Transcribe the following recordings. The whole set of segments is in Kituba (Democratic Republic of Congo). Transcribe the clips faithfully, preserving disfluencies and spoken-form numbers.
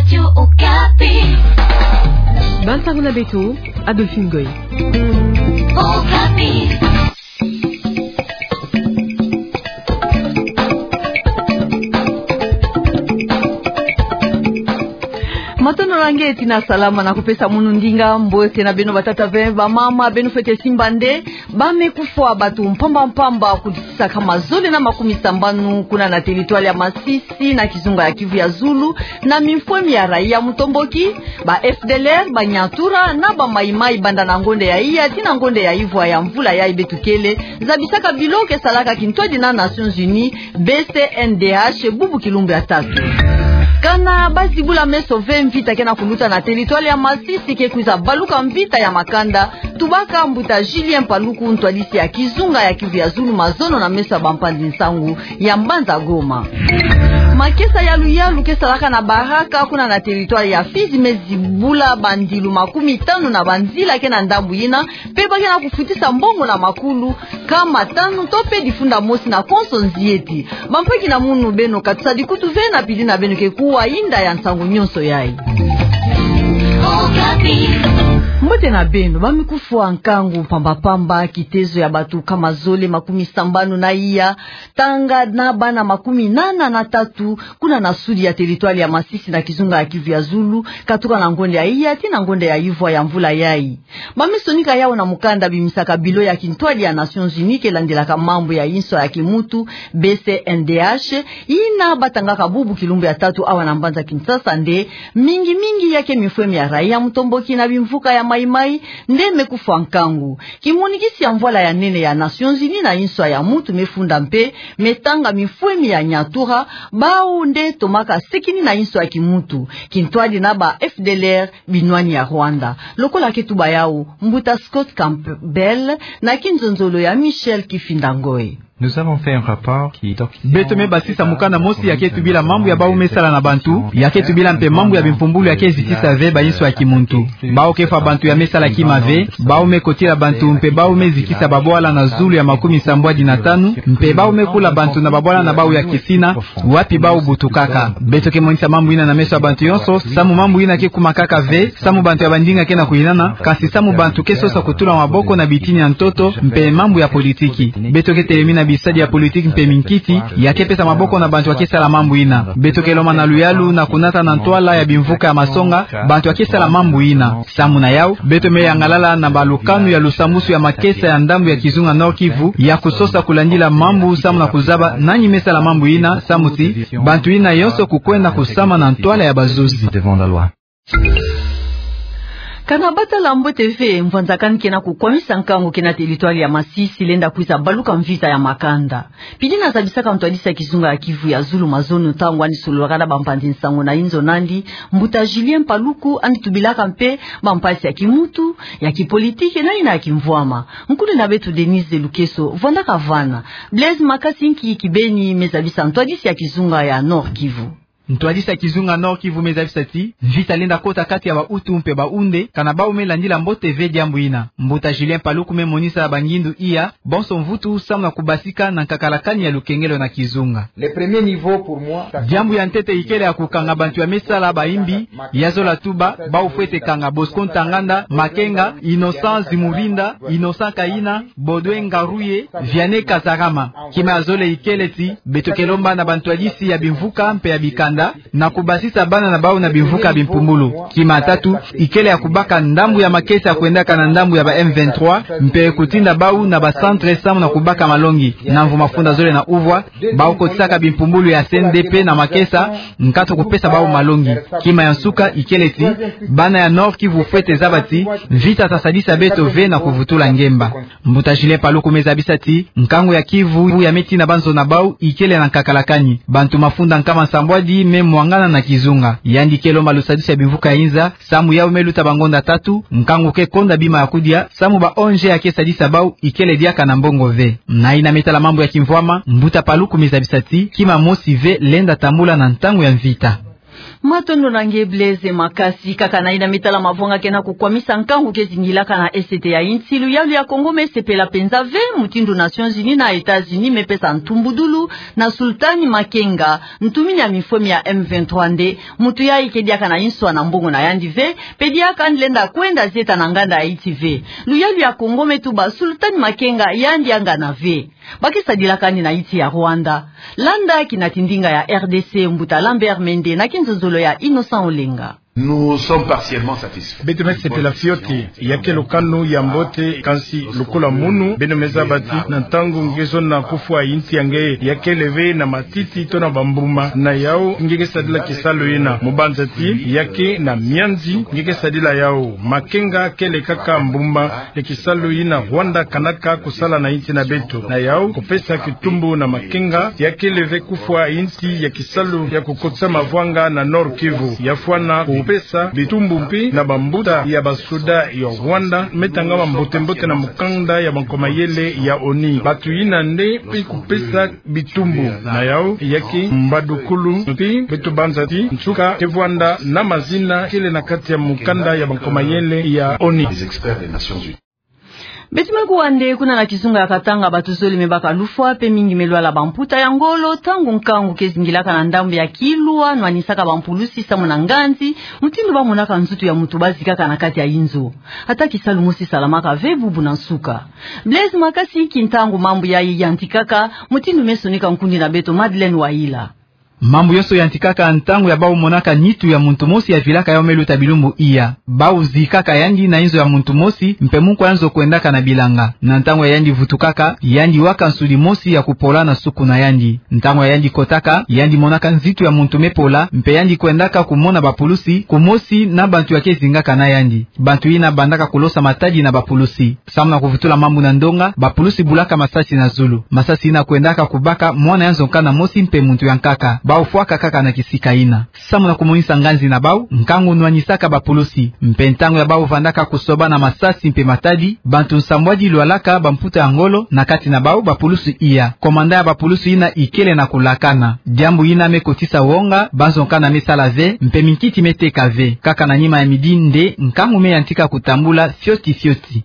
Radio Okapi. Bansango na beto, Adolphine Goy. Okapi. Matondo na nge tina salama na kupesa munu ndinga. Mbote na beno batata mpe bamama, beno fwete simba nde ba me kufwa bato mpamba mpamba kudisaka mazole na makumi sambanu kuna na territoire ya Masisi na kizunga ya Kivu ya Zulu, na mifwemi ya raia mutomboki, ba F D L R, ba Nyatura na ba Mai Mai, banda na ngonde ya iya tii na ngonde ya ivwa ya mvula yayi beto kele zabisaka bilo ke salaka kintwadi na Nations Unies, B C N D H, bubu kilumbu ya tatu. Kana ba zibula meso ve, mvita ke na kuluta na territoire ya Masisi ke kwiza baluka mvita ya makanda. Tubaka mbuta Julien Paluku, ntwadisi ya kizunga ya Kivu ya Zulu, mazono na meso ya bampanzi nsangu ya mbanza Goma. Makesa ya luyalu ke salaka na Baraka kuna na territoire ya Fizi me zibula bandilu makumi tanu na banzila ke na ndambu yina, mpe ba ke na kufutisa mbongo na makulu nkama tanu to mpe difunda mosi na konso nzieti. Bampaki na munu, beno kati sa dikutu ve na pili na beno ke kuwa inda ya nsangu nyonso yayi. Mbote na beno. Ba me kufwa nkangu mpamba mpamba, kitezo ya bato nkama zole makumi sambanu na iya, tanga na bana makumi nana na tatu, kuna na sudi ya territoire ya Masisi na kizunga ya Kivu ya Zulu, katuka na ngonde ya iya tii na ngonde ya ivwa ya mvula yayi. Ba me sonika yawu na mukanda bimisaka bilo ya kintwadi ya Nations Unies ke landilaka mambu ya inswa ya kimutu, B C N D H, yina ba tangaka bubu kilumbu ya tatu awa na mbanza Kinshasa nde mingi mingi ya ke mifwemi ya raia mutomboki na bimvuka ya Mai Mai nde me kufwa nkangu. Kimonikisi ya mvwala ya nene ya Nations Unies na inswa ya mutu me funda mpe me tanga mifwemi ya Nyatura, bawu nde tomaka sekini na inswa ya kimutu, kintwadi na ba F D L R, binwani ya Rwanda. Lokola ke tuba yawu mbuta Scott Campbell na kinzonzolo ya Michel Kifinda Ngoy. Nous avons fait un rapport qui doc- Beto me basisa mukanda mosi ya ke tubila mambu ya bawu me sala na bantu, ya ke tubila mpe mambu ya bimpumbulu ya ke zitisa ve ba inswa ya kimuntu. Bawu ke fwa bantu ya me sala kima ve, bawu me kotila bantu mpe bawu me zikisa babwala na zulu ya makumi sambwadi na tanu, mpe bawu me kula bantu na babwala na bawu ya kisina, wapi bawu butukaka. Beto ke monisa mambu yina na meso ya bantu yonso, samu mambu yina ke kumakaka ve samu bantu ya bandinga ke na kuyinana, kasi samu bantu ke sosa kutula maboko na bitini ya ntoto mpe mambu ya politiki. Beto ke telemi na bisadi ya politiki mpe minkiti ya ke pesa maboko na bantu ya ke sala mambu yina. Beto ke lomba na luyalu na kunata na ntwala ya bimvuka ya masonga bantu ya ke sala mambu yina. Samu na yawu, beto me yangalala na balukanu ya lusambusu ya makesa ya ndambu ya kizunga Nord-Kivu ya kusosa kulandila mambu samu na kuzaba nani me sala mambu yina, samu ti bantu yina yonso kukwenda kusama na ntwala ya bazuzi. Kana ba tala mbote ve, mvwanzakani ke na kukwamisa nkangu ke na territoire ya Masisi, lenda kwiza baluka mvita ya makanda. Pili na zabisaka ntwadisi ya kizunga ya Kivu ya Zulu mazono ntangu yandi sololaka na bampanzi nsangu na inzo nandi, mbuta Julien Paluku, yandi tubilaka mpe bampasi ya kimuntu, ya kipolitiki na yina ya kimvwama. Nkulu na beto Denise Lukeso vwandaka vana. Blaise, makasi nki kibeni me zabisa ntwadisi ya kizunga ya Nord-Kivu? Ntwadisi ya kizunga Nord-Kivu me zabisa ti mvita lenda kota kati ya ba Hutu mpe ba Hunde, kana bawu me landila mbote ve diambu yina. Mbuta Julien Paluku me monisa bangindu iya bonso mvutu samu na kubasika na nkakalakani ya lukengelo na kizunga. Le premier niveau pour moi, ça... Diambu ya ntete ikele ya kukanga bantu ya me sala bayimbi, ya zola tuba, bawu fwete kanga Bosco Ntaganda, Makenga, Innocent Zimurinda, Innocent Kayina, Baudouin Ngaruye, Vianney Kazarama. Kima ya zole ikele ti beto ke lomba na bantwadisi ya bimvuka mpe ya bikanda na kubasisa bana na bawu na bimvuka ya bimpumbulu. Kima ya tatu ikele ya kubaka ndambu ya makesa ya kwendaka na ndambu ya ba M vingt-trois, mpe kutinda bawu na ba centre samu na kubaka malongi. Na mvu mafunda zole na uvwa, bawu kotisaka bimpumbulu ya C N D P na makesa, nkato kupesa bawu malongi. Kima ya nsuka ikele ti bana ya Nord-Kivu fwete zaba ti mvita ta sadisa beto ve na kuvutula ngemba. Mbuta Julien Paluku me zabisa ti nkangu ya Kivu ya me tina banzo na bawu ikele na nkakalakani. Bantu mafunda nkama nsambwadi me mwangana na kizunga. Yandi ke lomba lusadusi ya bimvuka ya inza, samu yawu me luta bangonda tatu, nkangu ke konda bima ya kudia, samu ba O N G ya ke sadisa bawu ikele diaka na mbongo ve. Na yina me tala mambu ya kimvwama, mbuta Paluku me zabisa ti kima mosi ve lenda tambula na ntangu ya mvita. Matondo na nge Blaise Makasi. Kaka na ina me tala mavwanga ke na kukwamisa nkangu ke zingilaka na Est ya insi, luyalu ya Kongo me sepela penza ve mutindu Nations Unies na États-Unis me pesa ntumbudulu na Sultani Makenga, ntumini ya mifwemi ya M vingt-trois nde, muntu yayi ke diaka na inswa na mbongo na yandi ve, pe diaka nde lenda kwenda zieta na nganda ya insi ve. Luyalu ya Kongo me tuba Sultani Makenga yandi angana ve. Ba ke sadilaka yandi na insi ya Rwanda. Landa kina tindinga ya R D C, mbuta Lambert Mende na kinzonzolo ya Innocent Olenga. Nous sommes partiellement satisfaits. Beto me sepela fioti, ya ke lukanu ya mbote, kansi lokola munu, beno me zaba ti na ntangu nge zona kufwa insi ya nge, ya kele ve na matiti to na bambuma, na yau nge ke sadila kisalu yina. Mu banza ti ya ke na mianzi nge ke sadila yau. Makenga kele kaka mbuma ya kisalu yina Rwanda kanaka kusala na insi na beto. Na yau, kupesa kitumbu na Makenga, ya kele ve kufwa insi ya kisalu ya kukotisa mavwanga na Nord-Kivu. Ya fwana kupesa bitumbu mpe na bambuta ya basoda ya Rwanda, me tangama mbote-mbote na mukanda ya bankwa mayele ya ONU. Bantu yina nde pe kupesa bitumbu. Na yau, ya ke mbadukulu, mpe beto banza ti nsuka ke vwanda na mazina kele na kati ya mukanda ya bankwa mayele ya ONU. Beto me kuwa nde kuna na kizunga ya Katanga, bantu zole me baka lufwa, pe mingi me lwala bamputa ya ngolo, ntangu nkangu ke zingilaka na ndambu ya Kilwa, nwanisaka bampulusi samu na nganzi, mutindu ba monaka nzutu ya muntu ba zikaka na kati ya inzo. Ata kisalu mosi salamaka ve bubu na nsuka. Blaise Makasi, ki ntangu mambu yayi yantikaka, mutindu me sonika nkundi na beto Madeleine Wayila. Mambu yonso yantikaka ntangu ya bau monaka nitu ya muntu mosi ya vilaka yau me luta bilumbu iya. Bau zikaka yandi na inzo ya muntu mosi, mpe mu nkwa ya nzo kwendaka na bilanga. Na ntangu ya yandi vutukaka, yandi waka nsudi mosi ya kupola na suku na yandi. Ntangu ya yandi kotaka, yandi monaka nzitu ya muntu me pola, mpe yandi kwendaka kumona bapulusi, kumosi na bantu ya ke zingaka na yandi. Bantu yina bandaka kulosa matadi na bapulusi. Samu na kuvutula mambu na ndonga, bapulusi bulaka masasi na zulu. Masasi yina kwendaka kubaka mwana ya nzo nkana mosi mpe muntu ya nkaka. Bau fwaka kaka na kisika yina. Samu na kumonisa nganzi na bau, nkangu nwanisaka bapulusi. Mpe ntangu ya bau vandaka kusobana masasi mpe matadi, bantu nsambwadi lwalaka bamputa ya ngolo, na kati na bau bapulusi iya. Komanda ya bapulusi yina ikele na kulakana. Diambu yina me kotisa wonga, ba nzo nkana me sala ve, mpe minkiti me teka ve. Kaka na nima ya midi nde, nkangu me yantika kutambula fioti fioti.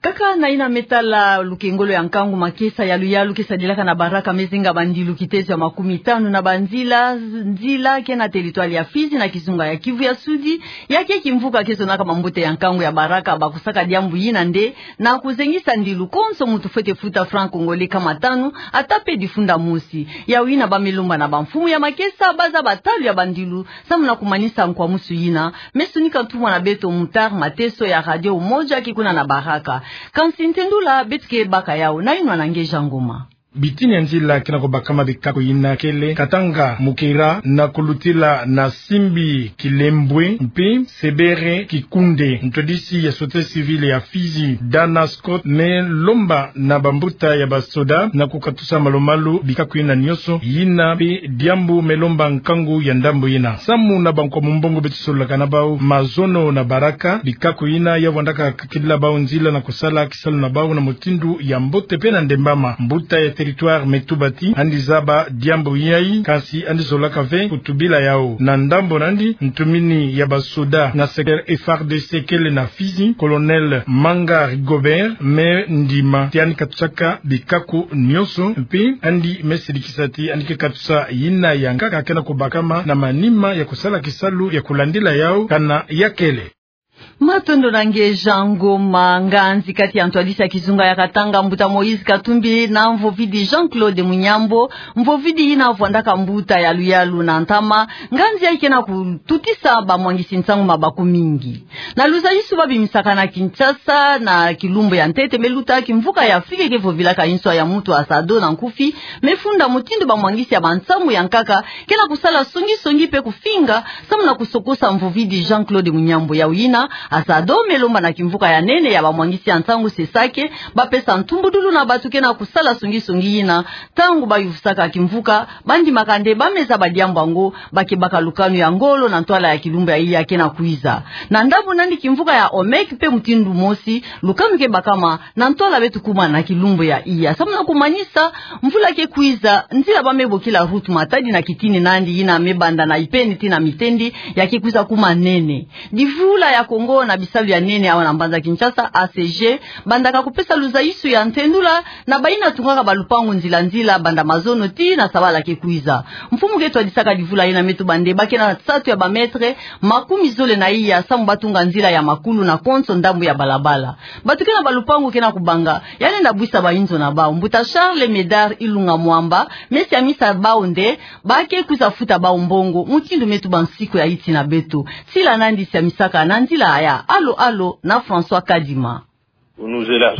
Kaka na yina me tala lukengolo ya nkangu, makesa ya luyalu ke sadilaka na Baraka me zinga bandilu kitezo ya makumi tanu na banzila, nzila ke na territoire ya Fizi na kizunga ya Kivu ya Sudi, ya ke kimvuka ke zonaka bambote ya nkangu ya Baraka, bakusaka diambu yina nde, na kuzengisa ndilu konso muntu fwete futa franc congolais nkama tanu, ata mpe difunda mosi. Yau yina ba me lomba na bamfumu ya makesa, ba zaba talu ya bandilu, samu na kumanisa nkwamusu yina, me sonika ntumwa na beto Mutar Mateso ya Radio Umoja ki kuna na Baraka. Kansi ntendula beto ke baka yau, na yinwa na nge Jean Ngoma. Bitini ya nzila ke na kubakama bikaku yina kele Katanga, Mukira, na kulutila na Simbi, Kilembwe, mpe Sebere, Kikunde. Ntwadisi ya société civile ya Fizi, Dana Scott, me lomba na bambuta ya basoda na kukatusa malu-malu bikaku yina nyonso, yina mpe diambu me lomba nkangu ya ndambu yina. Samu na bankwa mumbongo beto sololaka na bau mazono na Baraka, bikaku yina ya vandaka kakidila bau nzila na kusala kisalu na bau na mutindu ya mbote mpe na ndembama. Mbuta ya territoire me tuba ti yandi zaba diambu yayi, kansi yandi zolaka ve kutubila yau. Na ndambu na yandi, ntumini ya basoda na secteur F R D C kele na Fizi, Colonel Manga Rigobert, me ndima ti yandi katusaka bikaku nyonso, mpe yandi me sidikisa ti yandi ke katusa yina ya nkaka ke na kubakama na manima ya kusala kisalu ya kulandila yau kana ya kele. Matondo na nge Jean Ngoma. Nganzi kati ya ntwadisi ya kizunga ya Katanga, mbuta Moïse Katumbi, na mvovidi Jean-Claude Munyambo, mvovidi yina vandaka mbuta ya luyalu na ntama, nganzi yayi ke na kututisa bamwangisi nsangu mabaku mingi. Na luzayisu ba bimisaka na Kinshasa, na kilumbu ya ntete me luta, kimvuka ya Afrika ke vovilaka inswa ya muntu Asado na nkufi, me funda mutindu bamwangisi ya bansangu ya nkaka ke na kusala songi-songi mpe kufinga, samu na kusokosa mvovidi Jean-Claude Munyambo. Yau yina Azado me lomba na kimvuka ya nene ya bamwangisi ya nsangu Sesake bapesa ntumbudulu na bato ke na kusala songi-songi yina, ntango bayuvusaka kimvuka, bandimaka nde bameza badiambu yango, ba ke baka lukanu ya ngolo na ntwala ya kilumbu ya iya ke na kwiza. Na ndambu nani kimvuka ya Omek mpe mutindu mosi, lukanu ke bakama na ntwala beto kuma na kilumbu ya iya. Samu na kumanisa, mvula ke kwiza, nzila ba me bokila route Matadi na kitini nandi yina me banda na Ipeni tii na Mitendi, ya ke kwiza kuma nene. Divula ya Kongo na bisalu ya nene awa na mbanza Kinshasa, A C G, bandaka kupesa luzaisu ya ntendula na bayina tungaka balupangu nzila-nzila banda mazono tii na sabala ke kwiza. Mfumu ke twadisaka divula yina me tuba nde ba ke na nsatu ya ba mètre makumi zole na iya samu ba tunga nzila ya makulu na konso ndambu ya balabala. Bato ke na balupangu ke na kubanga ya lenda bwisa bainzo na bawu. Mbuta Charles Médard Ilunga Mwamba me siamisa bawu nde ba ke kwiza futa bawu mbongo, mutindu me tuba nsiku ya yiti na beto. Sila nandi siamisaka na nzila ya Alo Alo na François Kadima.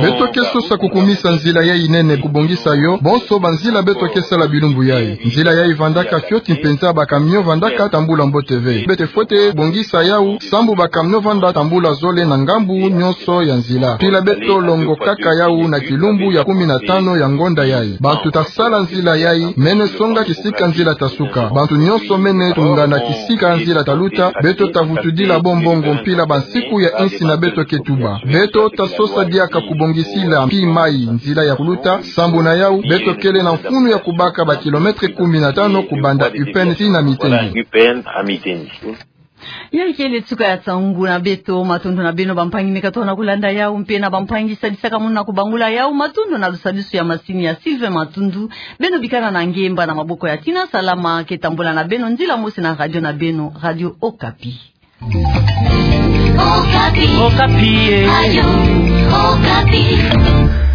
Beto ke sosa kukumisa nzila yayi nene, kubongisa yo bonso banzila beto ke sala bilumbu yayi. Nzila yayi vandaka fioti mpenza, ba camion vandaka tambula mbote ve. Beto fwete bongisa yawu, sambu ba camion vanda tambula zole na ngambu nyonso ya nzila. Mpila beto longokaka yawu na kilumbu ya kumi na tano ya ngonda yayi. Bantu ta sala nzila yayi mene songa kisika nzila ta suka. Bantu nyonso mene tungana kisika nzila ta luta, beto ta vutudila bo mbongo mpila bansiku ya insi na beto ke tuba. Beto ta sosa diaka kubongisila mpi mayi nzila ya kuluta, sambu na yawu beto kele na mfunu ya kubaka ba kilomètre kumi na tano kubanda Upene tii na Mitendi. Yayi kele nsuka ya nsangu na beto. Matondo na beno bampangi me katoka na kulanda yawu, mpe na bampangi sadisaka munu na kubangula yawu. Matondo na lusadisu ya masini ya Sylvain Matundu. Beno bikana na ngemba na maboko ya Tina Salama, ke tambola na beno nzila mosi na radio na beno, Radio Okapi. Okapi. Okapi, eh. Radio Okapi.